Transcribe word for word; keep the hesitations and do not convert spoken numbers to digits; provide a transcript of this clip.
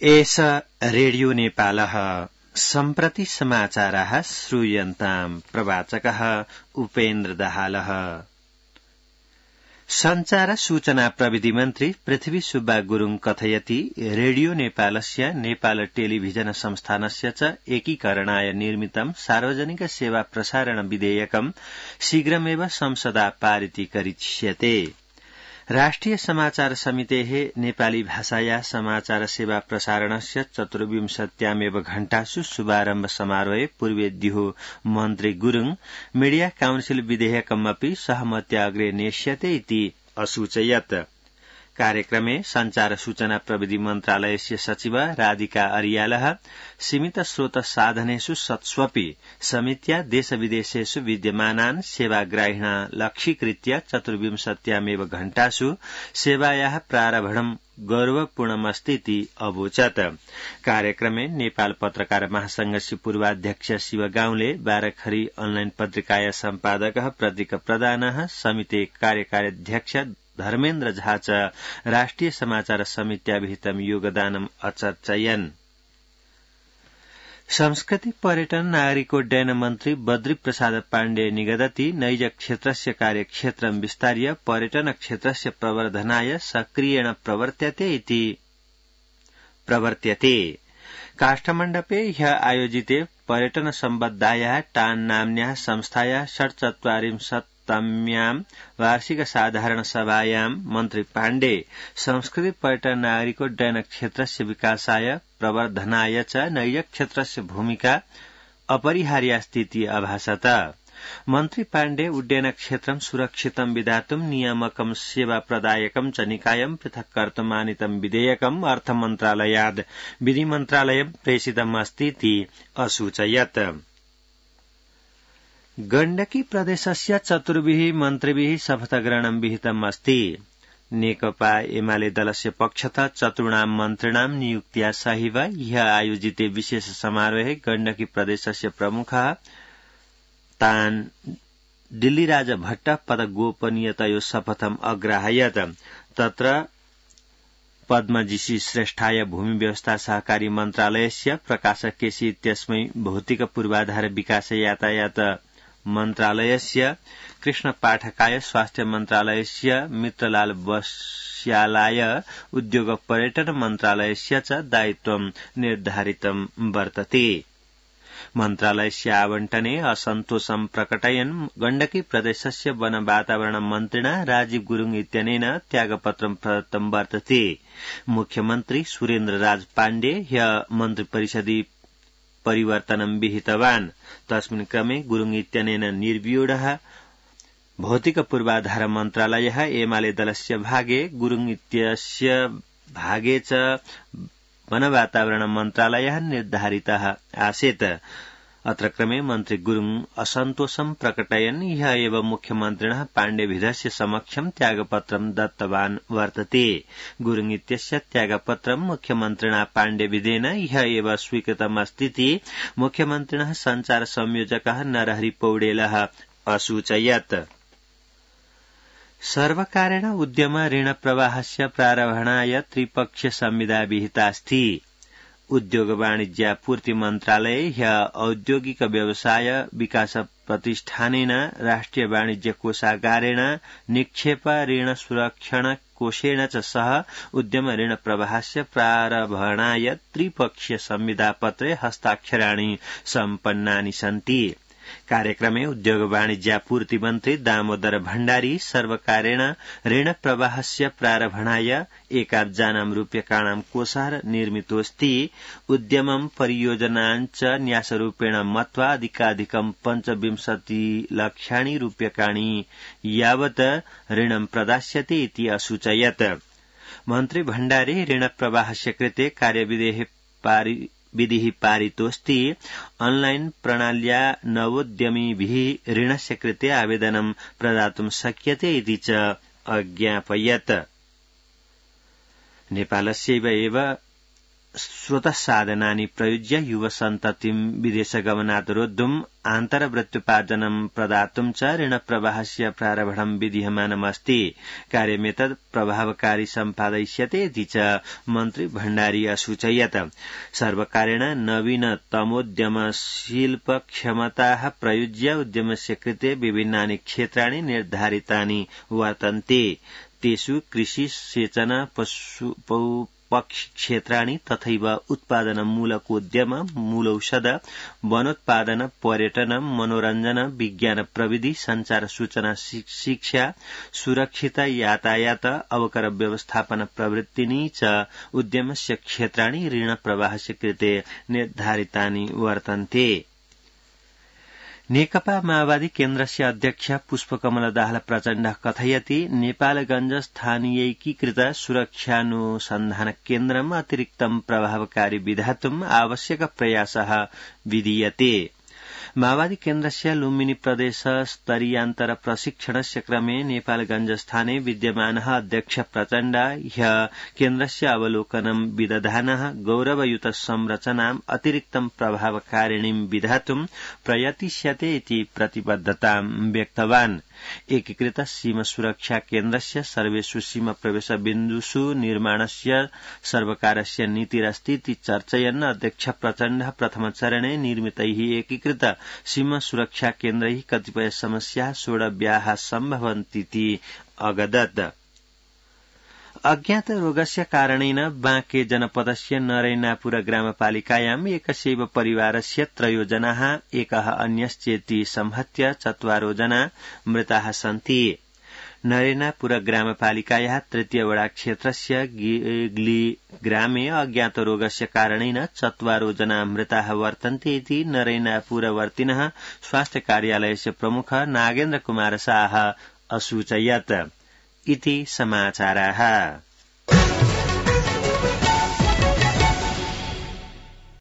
एष रेडियो नेपालः सम्प्रति समाचाराः श्रूयन्ताम् प्रवाचकः उपेन्द्र दाहालः। संचार सूचना प्रविधि मन्त्री पृथ्वी सुब्बा गुरुङ कथयति रेडियो नेपालस्य नेपाल टेलिभिजन संस्थानस्य च एकीकरणाय निर्मितं सार्वजनिक सेवा प्रसारण विधेयकं शीघ्रमेव संसदा पारितीकरिष्यते। राष्ट्रिय समाचार समितेः नेपाली भाषाया समाचार सेवा प्रसारणस्य चतुर्विंशत्यामेव घण्टासु शुभारम्भ समारोहे पूर्वेद्युः मन्त्री गुरुङ मीडिया काउन्सिल विधेयकमपि सहमत्या अग्रे नेष्यते इति असूचयत्। कार्यक्रमे संचार सूचना प्रविधि मन्त्रालयस्य सचिव राधिका अरियालः सीमित स्रोत साधनेषु सत्स्वपि समित्या देशविदेशेषु विद्यमानान् सेवाग्राहिणा लक्ष्यीकृत्य चतुर्विंशत्यामेव घण्टासु सेवायाः प्रारम्भं गौरवपूर्णमस्तीति अवोचत्। कार्यक्रमे नेपाल पत्रकार महासंघस्य पूर्वाध्यक्ष शिव गाउँले, बाराखरी अनलाइन पत्रिकाया सम्पादकः प्रतीक प्रधानः, समिति कार्यकार्याध्यक्ष धर्मेन्द्र झा च राष्ट्रिय समाचार समित्याभिहितं योगदानम् अचर्चयन्। संस्कृति पर्यटन नागरिकोड्डयन मन्त्री बद्री प्रसाद पाण्डे निगदति नैज क्षेत्रस्य कार्यक्षेत्रं विस्तार्य पर्यटन क्षेत्रस्य प्रवर्धनाय सक्रियेण प्रवर्त्यते इति प्रवर्त्यते। काष्ठमण्डपे ह्य आयोजिते पर्यटन सम्बद्धायाः टान् नाम्न्याः संस्थायाः षट्चत्वारिंशत् तम्यां वार्षिक साधारण सभायां मन्त्री पाण्डे संस्कृति पर्यटन नागरिकोड्डयन क्षेत्रस्य विकासाय प्रवर्धनाय च नैज क्षेत्रस्य भूमिका अपरिहार्यास्तीति अभाषत। मन्त्री पाण्डे उड्डयन क्षेत्रं सुरक्षितं विधातुं नियामकं सेवा प्रदायकं च निकायं पृथक् कर्तुमानीतं विधेयकम् अर्थमन्त्रालयाद् विधिमन्त्रालयं प्रेषितम् अस्तीति असूचयत्। गण्डकी प्रदेशस्य चतुर्भिः मन्त्रिभिः शपथग्रहणं विहितम् अस्ति। नेकपा एमाले दलस्य पक्षतः चतुर्णां मन्त्रिणां नियुक्त्या सहैव ह्यः आयोजिते विशेष समारोहे गण्डकी प्रदेशस्य प्रमुखः तान् दिल्लीराज भट्ट पदगोपनीयतयो शपथम् अग्राहयत्। तत्र पद्मजीसी श्रेष्ठाय भूमि व्यवस्था सहकारी मन्त्रालयस्य प्रकाशक केसी इत्यस्मै भौतिक पूर्वाधार विकास यातायात मन्त्रालयस्य कृष्ण पाठकाय स्वास्थ्य मन्त्रालयस्य मित्रलाल बस्यालाय उद्योग पर्यटन मन्त्रालयस्य च दायित्वं निर्धारितं वर्तते। मन्त्रालयस्य आवंटने असन्तोषं प्रकटयन् गण्डकी प्रदेशस्य वन वातावरण मन्त्रिणा राजीव गुरुङ इत्यनेन त्यागपत्रं प्रदत्तं वर्तते। मुख्यमन्त्री सुरेन्द्र राज पाण्डे ह्यः मन्त्रिपरिषदि परिवर्तनं विहितवान्। तस्मिन् क्रमे गुरुङ इत्यनेन निर्व्यूढः भौतिक पूर्वाधार मन्त्रालयः एमाले दलस्य भागे, गुरुङ इत्यस्य भागे च वन वातावरण मन्त्रालयः निर्धारितः आसीत्। अत्र क्रमे मन्त्री गुरुङ असन्तोषं प्रकटयन् ह्यः एव मुख्यमन्त्रिणः पाण्डेभिधस्य समक्षं त्यागपत्रं दत्तवान् वर्तते। गुरुङ इत्यस्य त्यागपत्रं मुख्यमन्त्रिणा पाण्डेभिधेन ह्यः एव स्वीकृतमस्तीति मुख्यमन्त्रिणः संचार संयोजकः नरहरि पौडेलः असूचयत्। सर्वकारेण उद्यम ऋण प्रवाहस्य प्रारम्भाय त्रिपक्षीय संविदा विहितास्ति। उद्योग वाणिज्यापूर्ति मन्त्रालये ह्यः औद्योगिक व्यवसाय विकास प्रतिष्ठानेन राष्ट्रिय वाणिज्य कोषागारेण निक्षेप ऋण सुरक्षण कोषेण च सह उद्यम ऋण प्रवाहस्य प्रारम्भाय त्रिपक्षीय संविदापत्रे हस्ताक्षराणि सम्पन्नानि सन्ति। कार्यक्रमे उद्योग वाणिज्यापूर्ति मन्त्री दामोदर भण्डारी सर्वकारेण ऋण प्रवाहस्य प्रारम्भाय एकाब्जानां रूप्यकाणां कोषः निर्मितोऽस्ति। उद्यमं परियोजनाञ्च न्यासरूपेण मत्वा अधिकाधिकं पञ्चविंशति लक्षाणि रूप्यकाणि यावत् ऋणं प्रदास्यते इति असूचयत्। मन्त्री भण्डारी ऋण प्रवाहस्य कृते कार्यविधेः पारि विधिः पारितोऽस्ति। ऑनलाइन प्रणाल्या नवोद्यमिभिः ऋणस्य कृते आवेदनं प्रदातुं शक्यते इति च अज्ञापयत्। नेपालस्यैव एव स्रोतसाधनानि प्रयुज्य युवसन्ततिं विदेशगमनात् रोद्धुम् आन्तरवृत्त्युपार्जनं प्रदातुं च ऋणप्रवाहस्य प्रारम्भं विधीयमानमस्ति। कार्यमेतत् प्रभावकारी सम्पादयिष्यते इति च मन्त्री भण्डारी असूचयत्। सर्वकारेण नवीनतमोद्यमशिल्पक्षमताः प्रयुज्य उद्यमस्य कृते विभिन्नानि क्षेत्राणि निर्धारितानि वर्तन्ते। तेषु कृषि, सेचन, पशु पक्षिक्षेत्राणि तथैव उत्पादनमूलकोद्यम, मूलौषध, वनोत्पादन, पर्यटन, मनोरञ्जन, विज्ञान प्रविधि, संचार सूचना शिक्षा, सुरक्षित यातायात, अवकर व्यवस्थापन प्रवृत्तीनि च उद्यमस्य क्षेत्राणि ऋणप्रवाहस्य कृते निर्धारितानि वर्तन्ते। नेकपा माओवादी केन्द्रस्य अध्यक्ष पुष्पकमल दाहाल प्रचण्डः कथयति नेपालगञ्ज स्थानीयैकीकृत सुरक्षानुसन्धान केन्द्रम् अतिरिक्तं प्रभावकारी विधातुम् आवश्यक प्रयासः विधीयते। माओवादी केन्द्रस्य लुम्बिनी प्रदेश स्तरीयान्तर प्रशिक्षणस्य क्रमे नेपालगञ्ज स्थाने विद्यमानः अध्यक्ष प्रचण्ड ह्य केन्द्रस्य अवलोकनं विदधानः गौरवयुत संरचनाम् अतिरिक्तं प्रभावकारिणीं विधातुं प्रयतिष्यते इति प्रतिबद्धतां व्यक्तवान्। एकीकृत सीमा सुरक्षा केन्द्रस्य सर्वेषु सीमा प्रवेश बिन्दुषु निर्माणस्य सर्वकारस्य नीतिरस्ति इति चर्चयन् अध्यक्ष प्रचण्डः प्रथमचरणे निर्मितैः एकीकृत सीमा सुरक्षा केन्द्रैः कतिपय समस्याः सोढव्याः सम्भवन्तीति अगदत्। अज्ञात रोगस्य कारणेन बाँके जनपदस्य नरैनापुर ग्रामपालिकायाम् एकस्यैव परिवारस्य त्रयो जनाः एकः अन्यश्चेति संहत्य चत्वारो जना मृताः सन्ति। नरैनापुर ग्रामपालिकायाः तृतीय वडा क्षेत्रस्य गिग्ली ग्रामे अज्ञात रोगस्य कारणेन चत्वारो जना मृताः वर्तन्ते इति नरैनापुरवर्तिनः स्वास्थ्य कार्यालयस्य प्रमुख नागेन्द्र कुमार शाह असूचयत्। इति समाचाराः।